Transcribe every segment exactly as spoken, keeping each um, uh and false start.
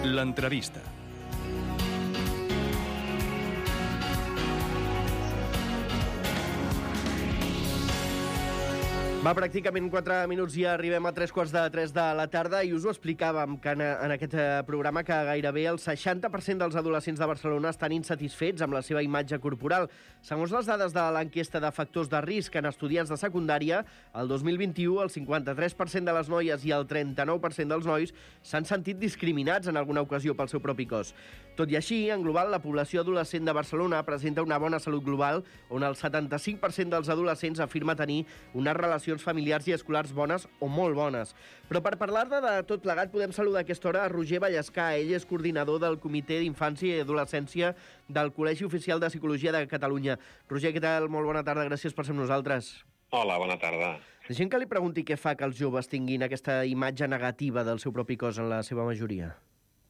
L'entrevista. Va, pràcticament quatre minuts i arribem a tres quarts de tres de la tarda i us ho explicàvem que en, en aquest programa que gairebé el seixanta per cent dels adolescents de Barcelona estan insatisfets amb la seva imatge corporal. Segons les dades de l'enquesta de factors de risc en estudiants de secundària, el dos mil vint-i-u el cinquanta-tres per cent de les noies i el trenta-nou per cent dels nois s'han sentit discriminats en alguna ocasió pel seu propi cos. Tot i així, en global, la població adolescent de Barcelona presenta una bona salut global, on el setanta-cinc per cent dels adolescents afirma tenir unes relacions familiars i escolars bones o molt bones. Però per parlar-ne de tot plegat podem saludar a aquesta hora a Roger Vallescà. Ell és coordinador del Comitè d'Infància i Adolescència del Col·legi Oficial de Psicologia de Catalunya. Roger, què tal? Molt bona tarda, gràcies per ser amb nosaltres. Hola, bona tarda. Deixem que li pregunti què fa que els joves tinguin aquesta imatge negativa del seu propi cos en la seva majoria.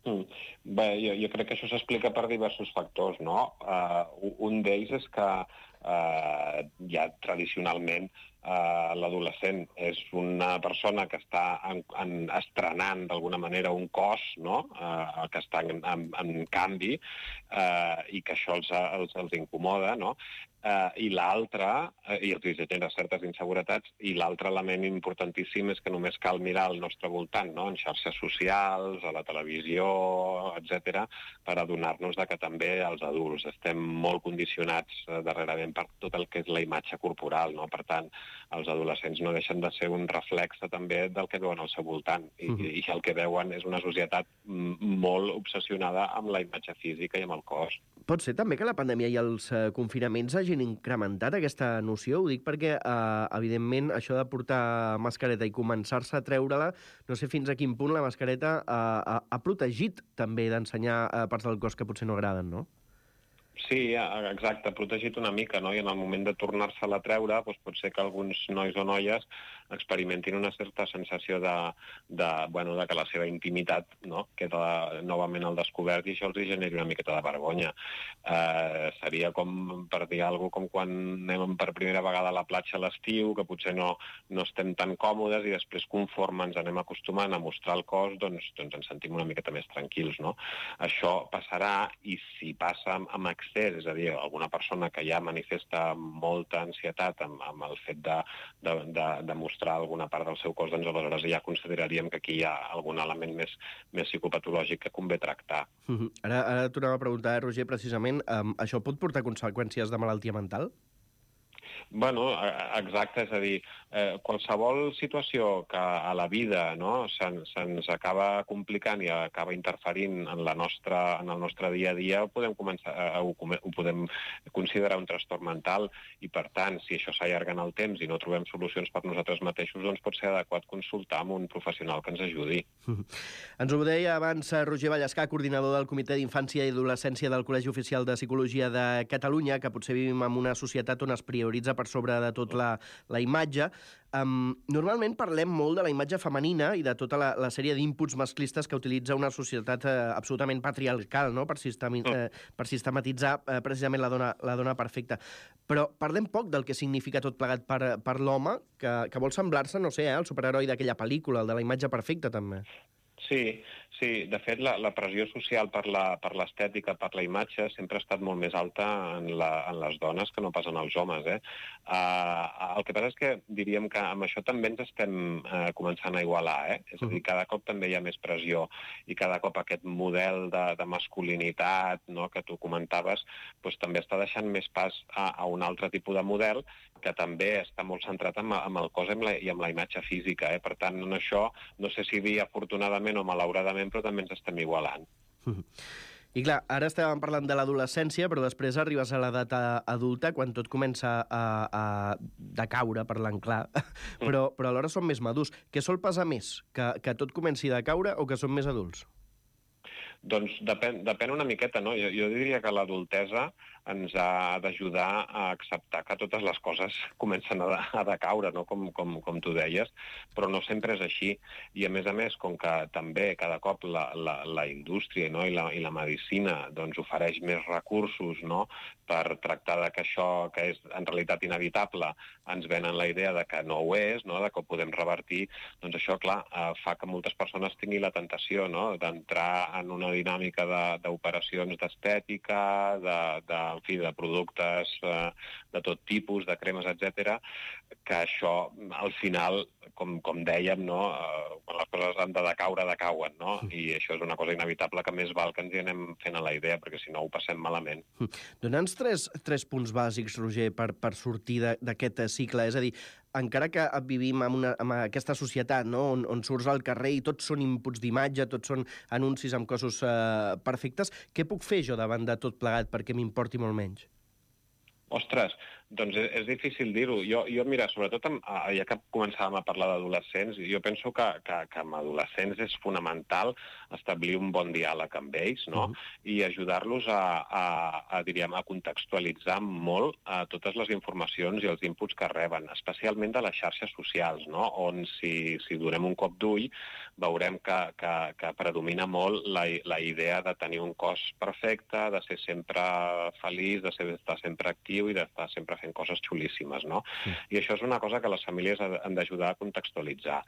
Mm. Bé, jo, jo crec que això s'explica per diversos factors, no? Uh, un d'ells és que uh, ja tradicionalment uh, l'adolescent és una persona que està en, en, estrenant d'alguna manera un cos, no? Uh, que està en, en, en canvi uh, i que això els, els, els incomoda, no? Uh, i l'altre, uh, i els genera certes inseguretats, i l'altre element importantíssim és que només cal mirar al nostre voltant, no? En xarxes socials, a la televisió, etcètera, per adonar-nos de que també els adults estem molt condicionats uh, darrerament per tot el que és la imatge corporal, no? Per tant, els adolescents no deixen de ser un reflexe també del que veuen al seu voltant, i, uh-huh. i el que veuen és una societat molt obsessionada amb la imatge física i amb el cos. Pot ser també que la pandèmia i els uh, confinaments hagin incrementat aquesta noció? Ho dic perquè, uh, evidentment, això de portar mascareta i començar-se a treure-la, no sé fins a quin punt la mascareta uh, ha, ha protegit també d'ensenyar uh, parts del cos que potser no agraden, no? Sí, exacte, protegit una mica, no? I en el moment de tornar-se-la a treure, doncs pot ser que alguns nois o noies experimentin una certa sensació de, de, bueno, de que la seva intimitat, no? Queda novament al descobert i això els generi una miqueta de vergonya. Eh, seria com, per dir alguna cosa, com quan anem per primera vegada a la platja a l'estiu, que potser no, no estem tan còmodes i després conforme ens anem acostumant a mostrar el cos, doncs, doncs ens sentim una miqueta més tranquils, no? Això passarà i si passa amb, amb excés, és a dir, alguna persona que ja manifesta molta ansietat amb, amb el fet de, de, de, de mostrar alguna part del seu cos, doncs aleshores ja consideraríem que aquí hi ha algun element més, més psicopatològic que convé tractar. Uh-huh. Ara, ara tornava a preguntar, Roger, precisament, um, això pot portar conseqüències de malaltia mental? Bueno, exacte, és a dir, eh, qualsevol situació que a la vida, no, se'ns, se'ns acaba complicant i acaba interferint en, la nostra, en el nostre dia a dia, ho podem, començar, eh, ho, ho podem considerar un trastorn mental i, per tant, si això s'allarga en el temps i no trobem solucions per nosaltres mateixos, doncs pot ser adequat consultar amb un professional que ens ajudi. Ens ho deia abans Roger Vallescà, coordinador del Comitè d'Infància i Adolescència del Col·legi Oficial de Psicologia de Catalunya, que potser vivim en una societat on es prioritza per sobre de tot la, la imatge. Um, normalment parlem molt de la imatge femenina i de tota la, la sèrie d'inputs masclistes que utilitza una societat eh, absolutament patriarcal, no? per, sistemi, eh, per sistematitzar eh, precisament la dona, la dona perfecta. Però parlem poc del que significa tot plegat per, per l'home, que, que vol semblar-se, no sé, eh, al superheroi d'aquella pel·lícula, el de la imatge perfecta, també. Sí, sí. De fet, la, la pressió social per la, per l'estètica, per la imatge, sempre ha estat molt més alta en, la, en les dones que no pas en els homes. Eh? Uh, el que passa és que diríem que amb això també ens estem uh, començant a igualar. Eh? És a dir, cada cop també hi ha més pressió i cada cop aquest model de, de masculinitat, no?, que tu comentaves, doncs, també està deixant més pas a, a un altre tipus de model que també està molt centrat en, en el cos i amb la, i amb la imatge física. Eh? Per tant, en això, no sé si dir afortunadament o malauradament, però també ens estem igualant. I clar, ara estàvem parlant de l'adolescència, però després arribes a l'edat adulta, quan tot comença a, a decaure, parlant clar, però, però alhora som més madurs. Què sol pesar més? Que, que tot comenci a decaure o que som més adults? Doncs depèn, depèn una miqueta, no? Jo, jo diria que l'adultesa ens ha d'ajudar a acceptar que totes les coses comencen a, de, a decaure, no? com, com, com tu deies, però no sempre és així. I a més a més, com que també cada cop la, la, la indústria, no? I, la, i la medicina doncs, ofereix més recursos, no? Per tractar de que això, que és en realitat inevitable, ens venen la idea de que no ho és, no? De que ho podem revertir, doncs això, clar, eh, fa que moltes persones tinguin la tentació, no? D'entrar en una dinàmica d'operacions d'estètica, de, de, en fi, de productes eh, de tot tipus, de cremes, etcètera, que això, al final, com, com dèiem, no? eh, quan les coses han de decaure, decauen, no? I això és una cosa inevitable que més val que ens hi anem fent a la idea, perquè si no ho passem malament. Dona'ns tres, tres punts bàsics, Roger, per, per sortir d'aquest cicle. És a dir, encara que vivim en, una, en aquesta societat, no? on, on surts al carrer i tots són inputs d'imatge, tots són anuncis amb cossos eh, perfectes, què puc fer jo davant de tot plegat perquè m'importi molt menys? Ostres, doncs és, és difícil dir-ho. Jo, jo, mira, sobretot, amb, ja que començàvem a parlar d'adolescents, jo penso que, que, que amb adolescents és fonamental establir un bon diàleg amb ells, no? Uh-huh. I ajudar-los a, a, a, diríem, a contextualitzar molt a totes les informacions i els inputs que reben, especialment de les xarxes socials, no? On si, si donem un cop d'ull veurem que, que, que predomina molt la, la idea de tenir un cos perfecte, de ser sempre feliç, de ser, d'estar sempre actiu i d'estar sempre fent coses xulíssimes, no? Sí. I això és una cosa que les famílies han d'ajudar a contextualitzar.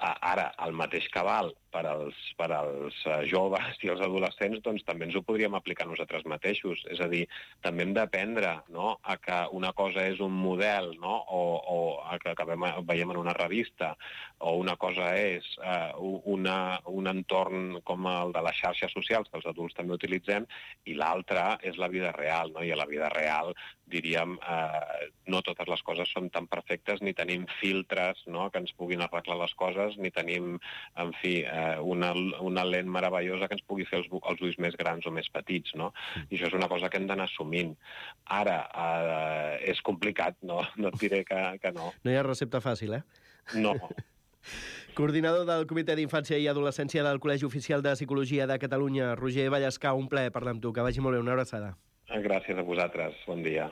Ara, el mateix cabal per als, per als joves i els adolescents, doncs també ens ho podríem aplicar nosaltres mateixos. És a dir, també hem d'aprendre, no?, a que una cosa és un model, no?, o, o a que, que veiem en una revista, o una cosa és eh, una, un entorn com el de les xarxes socials, que els adults també utilitzem, i l'altra és la vida real, no? I a la vida real, diríem, eh, no totes les coses són tan perfectes, ni tenim filtres, no?, que ens puguin arreglar les coses, ni tenim, en fi, eh, una, una lent meravellosa que ens pugui fer els, els ulls més grans o més petits, no? I això és una cosa que hem d'anar assumint. Ara, eh, és complicat, no? No et diré que, que no. No hi ha recepta fàcil, eh? No. Coordinador del Comitè d'Infància i Adolescència del Col·legi Oficial de Psicologia de Catalunya, Roger Vallescà, un plaer parlar amb tu. Que vagi molt bé, una abraçada. Gràcies a vosaltres. Bon dia.